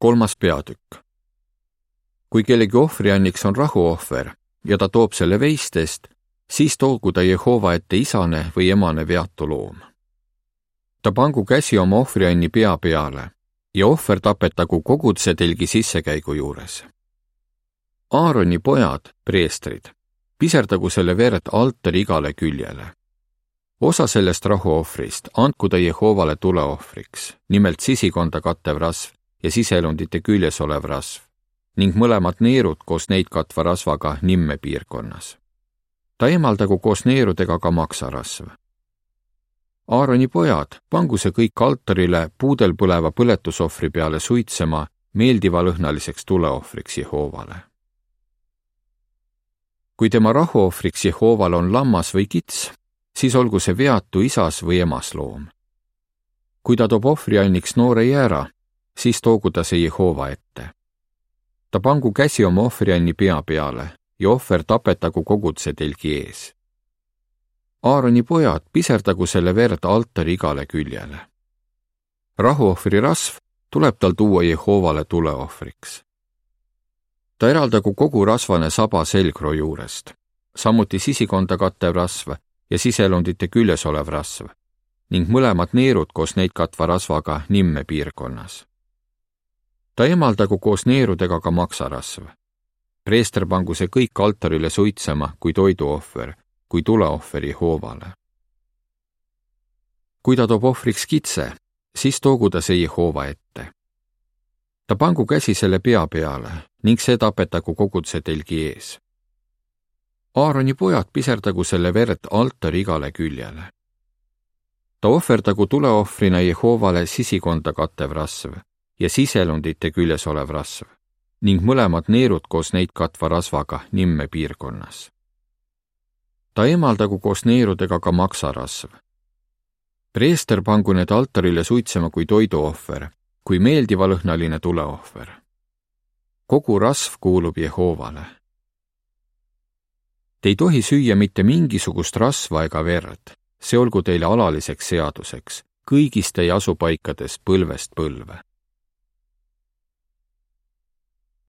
3. peatükk. Kui kellegi ohvrianniks on rahuohver ja ta toob selle veistest, siis toogu ta Jehova ette isane või emane veatu loom. Ta pangu käsi oma ohvrianni pea peale ja ohver tapetagu kogudsetelgi sissekäigu juures. Aaroni pojad, preestrid, piserdagu selle verd altari igale küljele. Osa sellest rahuohvrist andku ta Jehovale tuleohvriks, nimelt sisikonda kattev rasv ja siselundite küljes olev rasv, ning mõlemad neerud koos neid katva rasvaga nimme piirkonnas. Ta eemaldagu koos neerudega ka maksarasv. Aaroni pojad, pangu see kõik altarile puudel põleva põletusohvri peale suitsema meeldivalõhnaliseks tuleohvriks Jehovale. Kui tema rahuohvriks Jehovale on lammas või kits, siis olgu see veatu isas või emas loom. Kui ta toob ohvrianniks noore jäära, siis toogu ta see Jehova ette. Ta pangu käsi oma ohvrianni pea peale ja ohver tapetagu kogudsetelgi ees. Aaroni pojad, piserdagu selle verd altari igale küljele. Rahuohvri rasv tuleb tal tuua Jehovale tuleohvriks. Ta eraldagu kogu rasvane saba selgroo juurest, samuti sisikonda kattev rasv ja siselundite küljes olev rasv, ning mõlemad neerud koos neid katva rasvaga nimme piirkonnas. Ta eemaldagu koos neerudega ka maksarasv. Preester pangu see kõik altarile suitsema kui toiduohver, kui tuleohver Jehovale. Kui ta toob ohvriks kitse, siis toogu ta see Jehova ette. Ta pangu käsi selle pea peale ning see tapetagu kogudsetelgi ees. Aaroni pojad, piserdagu selle verd altari igale küljele. Ta ohverdagu tuleohvrina Jehovale sisikonda kattev rasv ja siselundite küljes olev rasv, ning mõlemad neerud koos neid katva rasvaga nimme piirkonnas. Ta eemaldagu koos neerudega ka maksarasv. Preester pangu need altarile suitsema kui toiduohver, kui meeldivalõhnaline tuleohver. Kogu rasv kuulub Jehovale. Te ei tohi süüa mitte mingisugust rasva ega verd, see olgu teile alaliseks seaduseks, kõigis teie asupaikades põlvest põlve.